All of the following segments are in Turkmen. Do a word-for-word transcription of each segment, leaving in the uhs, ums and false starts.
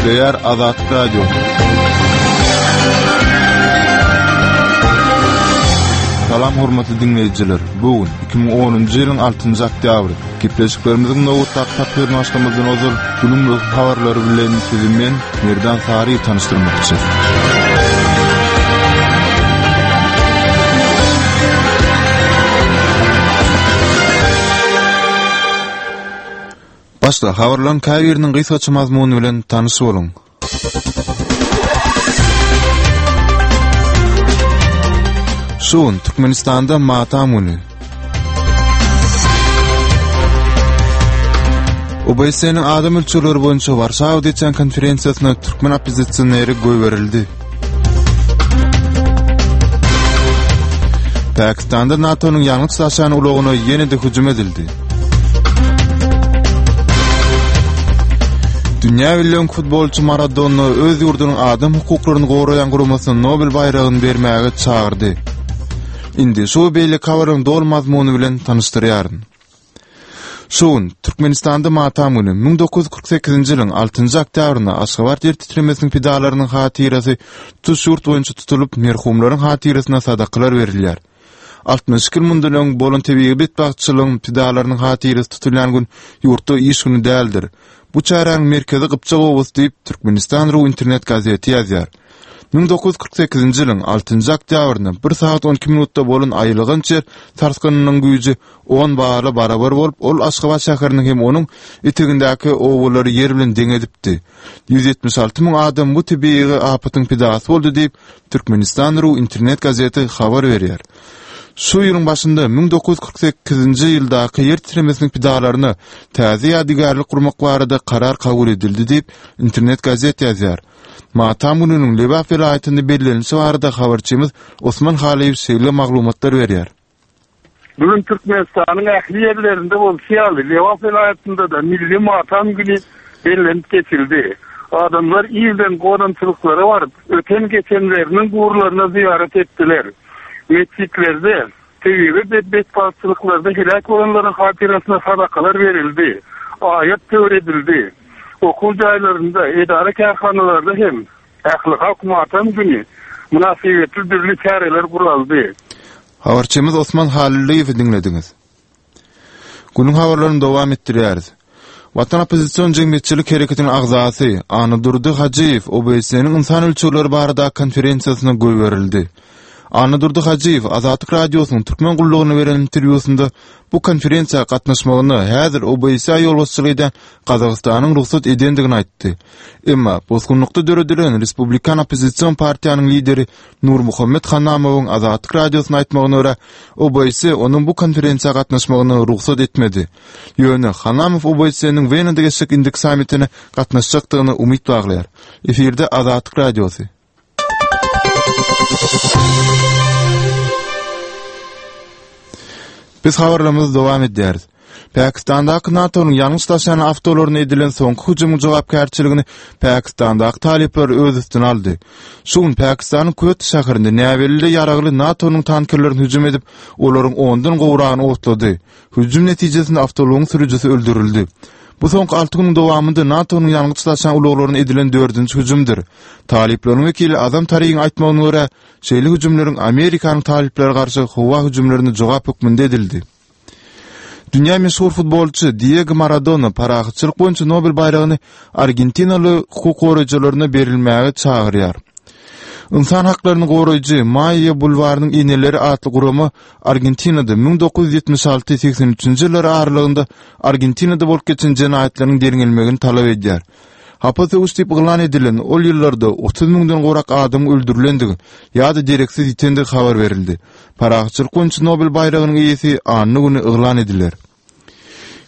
Gepleýär Azatlyk Radiosy. Salam hormatly diňleýjiler. Bu gün iki müň onunjy ýylyň altynjy oktýabry. Gepleşiklerimiziň nobatdaky tapgyryny başlamazdan ozal günüň möhüm habarlary bilen sizi men Merdan Saryýew tanyşdyrmakçy. Başda habarlaryň käbiriniň gysgaça mazmuny bilen tanyş boluň. Şu gün Türkmenistanda matam güni. O B S N-iň adam ölçegleri boýunça Warşawada geçen konferensiýasyna türkmen oppozisioneri goýberildi. Pakistanda NATO-nyň ýangyç daşan ulagyna ýene-de hüjüm edildi. Dünýä belli futbolçy Maradona öz ýurdunyň adam hukuklaryny goraýan guramasyna Nobel baýragyny bermäge çagyrdy. Indi şu beýleki habaryň doly mazmuny bilen tanyşdyrýaryn. Şu gün Türkmenistanda matam güni müň dokuz ýüz kyrk sekizinji ýylyň altynjy oktýabrynda Aşgabat ýer titremesiniň pidalarynyň hatyrasy tutuş ýurt boýunça tutulyp, merhumlaryň hatyrasyna sadakalar berilýär. Altmyş iki ýyl mundan öň bolan tebigy betbagtçylygyň pidalarynyň hatyrasy tutulýan gün ýurtda iş günü däldir. Bu çäräniň merkezi Gypjak obasy diýip Türkmenistan ru internet gazeti ýazýar. Müň dokuz ýüz kyrk sekizinji ýylyň altynjy oktýabrynda bir sagat on iki minutda bolan aýylganç ýer sarsgynynyň güýji on bala barabar bolup, ol Aşgabat şäheriniň hem onuň etegindäki obalary ýer bilen deň edipdi. Ýüz ýetmiş alty müň adam bu tebigy apatyň pidasy boldy diýip Türkmenistan ru internet gazeti habar berýär. Şu ýylyň başynda müň dokuz ýüz kyrk sekizinji ýyldaky ýer titremesiniň pidalaryna täze ýadygärlik gurmak barada karar kabul edildi diýip internet gazet ýazýar. Matam gününiň Lebap welaýatynda bellenilişi barada habarçymyz Osman Halyýew şeýle maglumatlar berýär. Bugün Türkmenistanyň ähli ýerlerinde bolşy ýaly Lebap welaýatynda da milli matam günü bellenip geçildi. Adamlar irden gonamçylyklara baryp, öten geçenleriniň gurlaryna ziýaret etdiler. Mescitlerde, tebigy bedbahtçylyklarda helak bolanlaryň hatyrasyna sadakalar berildi. Aýat töwir edildi. Okuw jaýlarynda, edara kärhanalarda hem ähli halk matam günü münasibetli dürli çäreler guraldy. Habarçymyz Osman Halylyýewi diňlediňiz. Günüň habarlaryny dowam etdirýäris. Watan oppozision jemgyýetçilik hereketiniň agzasy Annadurdy Hajyýew O B S N-iň ynsan ölçegleri barada konferensiýasyna goýberildi. Annadurdy Hajyýew Azatlyk Radiosynyň Türkmen gullugyna beren interwýusynda bu konferensiýa gatnaşmagyna häzir O B S ýolbaşçylyk eden Gazagystanyň rugsat edendigini aýtdy. Emma bosgunlykda döredilen Respublikan oppozision partiýanyň lideri Nurmuhammet Hanamowyň Azatlyk Radiosyna aýtmagyna görä, O B S onuň bu konferensiýa gatnaşmagyna rugsat etmedi. Ýöne Hanamow O B S-niň Wenada geçjek indiki sammitine gatnaşjakdygyna umyt baglaýar. Efirde Azatlyk Radiosy. Biz habarlarymyzy dowam edýäris. Pakistandaky NATO-nyň ýangyç daşaýan awtolaryna edilen soňky hüjümiň jogapkärçiligini Pakistandaky talyplar öz üstüne aldy. Şu gün Pakistanyň Köt şäherinde näbelli ýaragly NATO-nyň tankerlerini hüjüm edip, olaryň ondan gowragyny otlady. Hüjüm netijesinde awtoulagyň sürüjisi öldürildi. Bu soňky alty günüň dowamynda NATO-nyň ýangyç daşaýan ulaglaryna edilen dördünji hüjümdir. Talyplaryň wekili Azam Tarigiň aýtmagyna görä, şeýle hüjümleriň Amerikanyň talyplara garşy howa hüjümlerine jogap hökmünde edildi. Dünýä meşhur futbolçy Diego Maradona parahatçylyk boýunça Nobel baýragyny Argentinaly hukuk goraýjylaryna berilmäge çagyrýar. Ynsan haklaryny goraýjy Maýa bulwarynyň eneleri atly gurama Argentinada müň dokuz ýüz ýetmiş alty segsen üçünji ýyllar aralygynda Argentinada bolup geçen jenaýatlaryň derňelmegini talap edýär. Hapa söweş diýip yglan edilen ol ýyllarda otuz müňden gowrak adam öldürilendigi ýa-da dereksiz ýitendigi habar berildi. Parahatçylyk boýunça Nobel baýragynyň eýesi anna güni yglan ediler.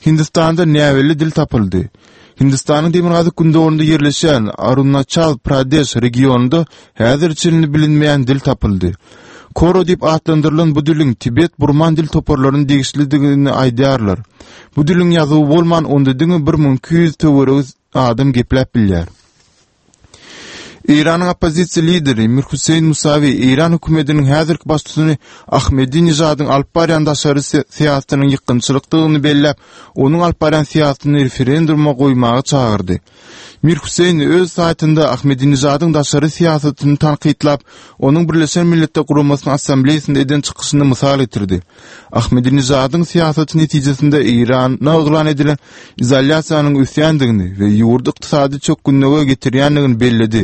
Hindistanda näbelli dil tapyldy. Hindistanyň demirgazyk gündogarynda ýerleşýän Arunachal Pradeş regionynda häzir çenli bilinmeýän dil tapyldy. Koro diýip atlandyrylan bu diliň Tibet-Burman dil toparlarynyň degişlidigini aýdýarlar. Bu diliň ýazuwy bolman, onda diňe bir müň iki ýüz töweregi adam gepläp bilýär. Eýranyň oppozisiýa lideri Mir Hüseýin Musawi Eýran hökümetiniň häzirki baştutany Ahmedinejadyň alyp barýan daşary syýasatynyň ýykgynçylykdygyny belläp, onuň alyp barýan syýasatyny referenduma goýmaga çagyrdy. Mir Hüseýni öz saýtynda Ahmedinejadyň daşary syýasatyny tankytlap, onuň Birleşen Milletler Guramasynyň Assambleýasynda eden çykyşyny mysal getirdi. Ahmedinejadyň syýasaty netijesinde Eýrana yglan edilen izolýasiýanyň ösýändigini we ýurdy ykdysady çökgünlige getirýändigini belledi.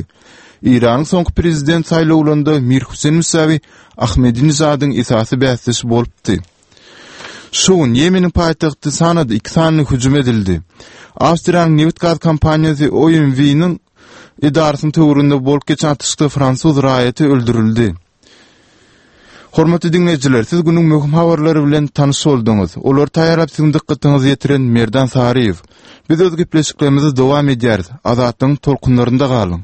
Eýranyň soňky prezident saýlawlarynda Mir Hüseýn Musawi Ahmedinejadyň esasy bäsdeşi bolupdy. Şu gün Ýemeniň paýtagty Sanada iki sany hüjüm edildi. Awstriýanyň nebit-gaz kompaniýasy O M V-niň edarasynyň töwereginde bolup geçen atyşykda fransuz raýaty öldürildi. Hormatly diňleýjiler, siz günüň möhüm habarlary bilen tanyş bolduňyz. Olary taýýarlap siziň dykgatyňyza ýetiren Merdan Saryýew. Biz öz gepleşiklerimizi dowam edýäris. Azatlygyň tolkunlarynda galyň.